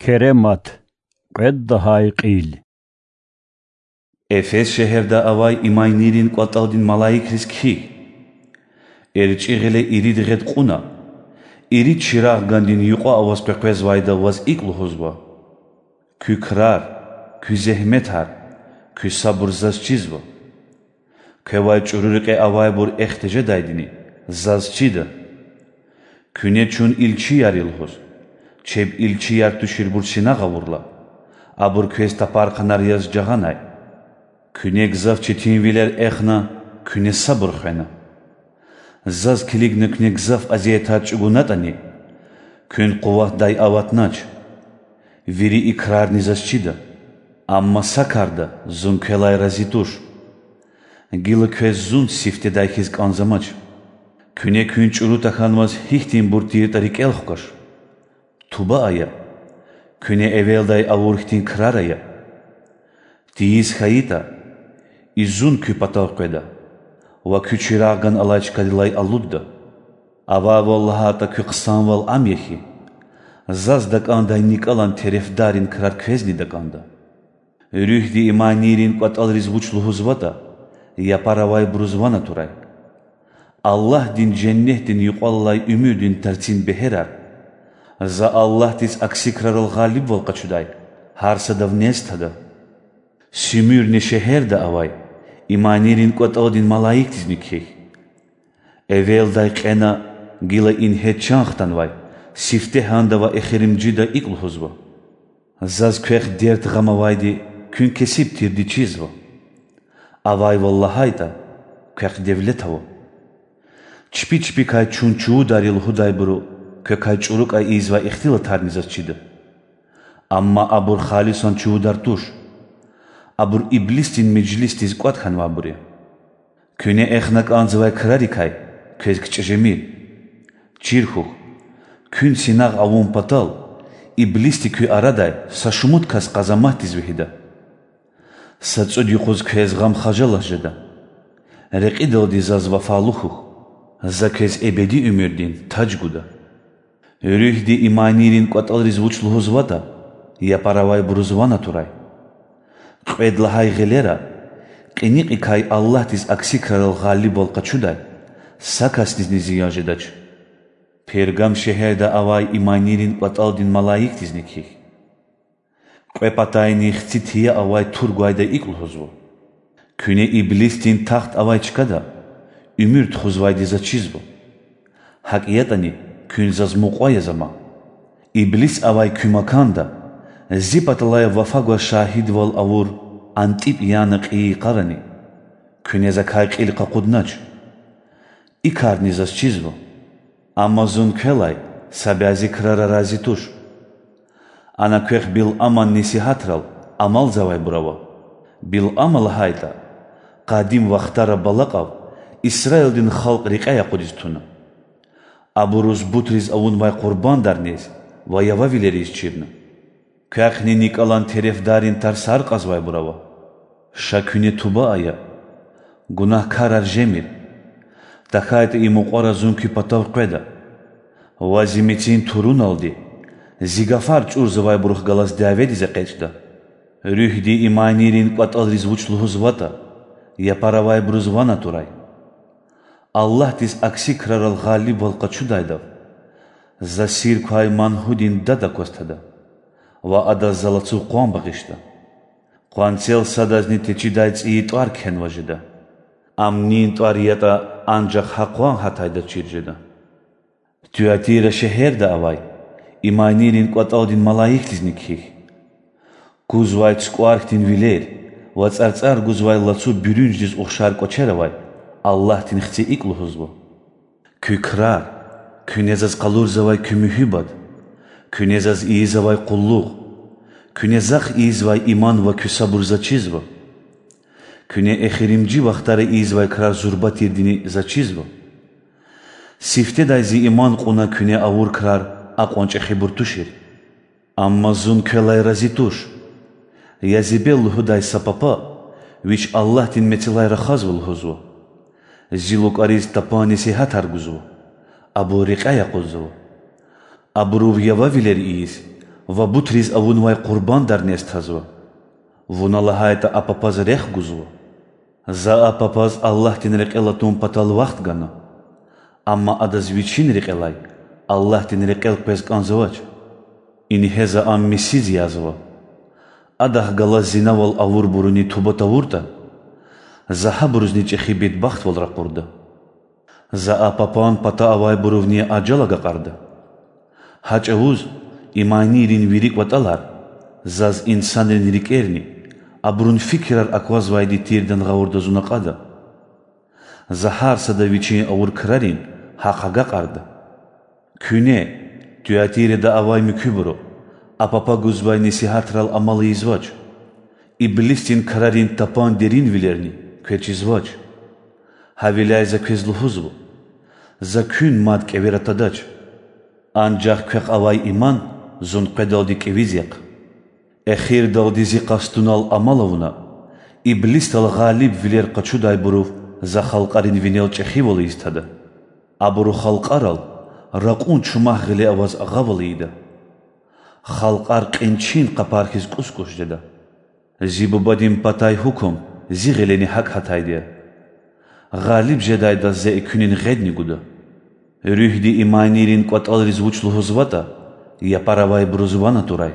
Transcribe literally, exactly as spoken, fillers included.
Керемат, кьвед лагьай кьил. Эфес шегьерда авай иманийрин кӀватӀалдин малаикриз кхьихь: ЭрчӀи гъиле ирид гъед кьуна, ирид чирагъгандин юкьва аваз къекъвезвайда ваз икӀ лугьузва: куь крар, куь зегьметар, куь сабур заз чизва. Квевай чӀуру рекье авайбур эхь тежедайдини заз чида. Куьне чун илчияр я лугьуз, чеб илчияр туширбур синагъ авурла, абур квез тапархъанар яз жагъанай. Куьне гзаф четинвилер эхна, куьне сабур хвена. Заз килигна куьне гзаф азиятар чӀугунатӀани, куьн къуватдай аватнач. Вири и крарни заз чида, амма са карда зун квелай рази туш. Гила квез зун сифтедай хьиз кӀанзамач. Куьне куьн чӀуру тахьанваз гьихьтинбур тиртӀа рикӀел хкваш. Туба ая, куьне эвелдай авур хьтин крар ая. Тийиз хьайитӀа, и зун куь патав къведа ва куь чирагъган алай чкадилай алудда. Авайвал лагьайтӀа, куь хъсанвал ам я хьи, заз дакӀандай никӀалан терефдаррин крар квезни дакӀанда. Руьгьди иманийрин кӀватӀалриз вуч лугьузватӀа, япар авайбуруз ван атурай: Аллагьдин женнетдин юкьвал алай уьмуьрдин тарцин бегьерар, за Аллагьдиз акси крарал гъалибвал къачудай, гьар садав нез тада. Суьмуьрни шегьерда авай иманийрин кӀватӀалдин малаикдизни кхьихь: эвелдай кьена, гила ингье чан хтанвай, сифтегьанда ва эхиримжида икӀ лугьузва: Заз квехъ дерт-гъам авайди куьн кесиб тирди чизва. Авайвал лагьайтӀа, квехъ девлет ава. Чпи чпикай чун чувудар я лугьудайбуру квекай чӀурукай ийизвай ихтилатарни заз чида. Амма абур халисан чувудар туш. Абур иблисдин межлисдиз кӀватӀ хьанвайбур я. Куьне эхна кӀанзавай крарикай квез кичӀе жемир. Чир хьухь, куьн синагъ авун патал иблисди куь арадай са шумуд кас къазаматдиз вегьида. Са цӀуд юкъуз квез гъам-хажалат жеда. Рекьидалди заз вафалу хьухь, за квез эбеди уьмуьрдин таж гуда. Руьгьди иманийрин кӀватӀалриз вуч лугьузватӀа, япар авайбуруз ван атурай. Кьвед лагьай гъилера, кьиникьикай Аллагьдиз акси крарал гъалибвал къачудай, са касдизни зиян жедач. Пергам шегьерда авай иманийрин кӀватӀалдин малаикдизни кхьихь: кьве патайни хци тийа авай тур гвайда икӀ лугьузва: Куьне иблисдин тахт авай чкада уьмуьр тухузвайди заз чизва. ГьакӀ ятӀани, куьн заз мукьва яз ама. Иблис авай куь маканда зи паталай вафа гваз шагьидвал авур АнтӀипӀ яна кьейи йикъарани, куьне закай кьил къакъуднач. И карни заз чизва. Амма зун квелай са бязи крара рази туш. Ана квехъ Билъаман несигьатрал амалзавайбур ава. Билъама лагьайтӀа, къадим вахтара Балакьав Исраилдин халкь рекьяй акъудиз туна. Абуруз бутриз авунвай къурбандар нез ва явавилер ийиз чирна. Квехъни никӀалан терефдаррин тарсар кьазвайбур ава. Ша куьне туба ая, гунагькарар жемир. ТахьайтӀа и мукьвара зун куь патав къведа ва зи мецин туруналди зи гафар чӀурзавайбурухъ галаз дяведиз экъечӀда. Руьгьди иманийрин кӀватӀалриз вуч лугьузватӀа, япар авайбуруз ван атурай: Аллагьдиз акси крарал гъалибвал къачудайдав За сир квай Мангьудин Дад акваз тада ва Адаз За лацу къван багъишда. Къванцел садазни течидай цӀийи тӀвар кхьенваз жеда. Ам нин тӀвар ятӀа, анжах гьа къван гьатайдаз чир жеда. Туятира шегьерда авай иманийрин кӀватӀалдин малаикдизни кхьихь: кузвай цукӀвар хьтин вилер ва цӀарцӀар гузвай лацу буьруьнждиз ухшар кӀвачер авай Аллагьдин Хци икӀ лугьузва: Куь крар, куьне Заз къалурзавай куь муьгьуьббат, куьне Заз ийизвай къуллугъ, куьне Захъ ийизвай иман ва куь сабур Заз чизва. Куьне эхиримжи вахтара ийизвай крар зурба тирдини Заз чизва. Сифтедай Зи иман кьуна куьне авур крар акьван чӀехибур тушир. Амма Зун квелай рази туш. Я Зи бел лугьудай са папа, вич Аллагьдин мецелай рахазва, лугьузва. Зи лукӀариз тапан несигьатар гузва, абур рекьяй акъудзава. Абурув явавилер ийиз ва бутриз авунвай къурбандар нез тазва. Вуна лагьайтІа а папаз рехъ гузва. За а папаз Аллагьдин рекьел атун патал вахт гана. Амма адаз вичин рекьелай Аллагьдин рекьел къвез кІанзавач. Ингье за ам мисиз язва. Адахъ галаз зинавал авурбуруни туба тавуртІа, за гьабурузни чІехи бедбахтвал ракъурда. За а папан пата авайбурувни ажал агакьарда. Гьа чІавуз иманийрин вири кІватІалар заз инсанрин рикІерни абурун фикирар аквазвайди тирдан гъавурда зун акьада. За гьар сада вичин авур крарин гьахъ агакьарда. Куьне, Туатирада авай муькуьбуру, а папа гузвай несигьатрал амал ийизвач, иблисдин крарин тапан деринвилерни квез чизвач. Гьавиляй за квез лугьузва: за куьн мад кІевера тадач. Анжах квехъ авай иман зун къведалди кІевиз яхъ. Эхирдалди зи къастунал амал авуна, иблисдал гъалибвилер къачудайбурув за халкьарин винел чІехивал ийиз тада. Абуру халкьарал ракьун чумахъ гъиле аваз агъавал ийида. Халкьар кьин-чин къапар хьиз кІус-кІус жеда. Зи Бубадин патай гьукум зи гъилени гьакІ гьатайди я. Гъалиб жедайдаз за экуьнин гъедни гуда. Руьгьди иманийрин кІватІалриз вуч лугьузватІа, япар авайбуруз ван атурай.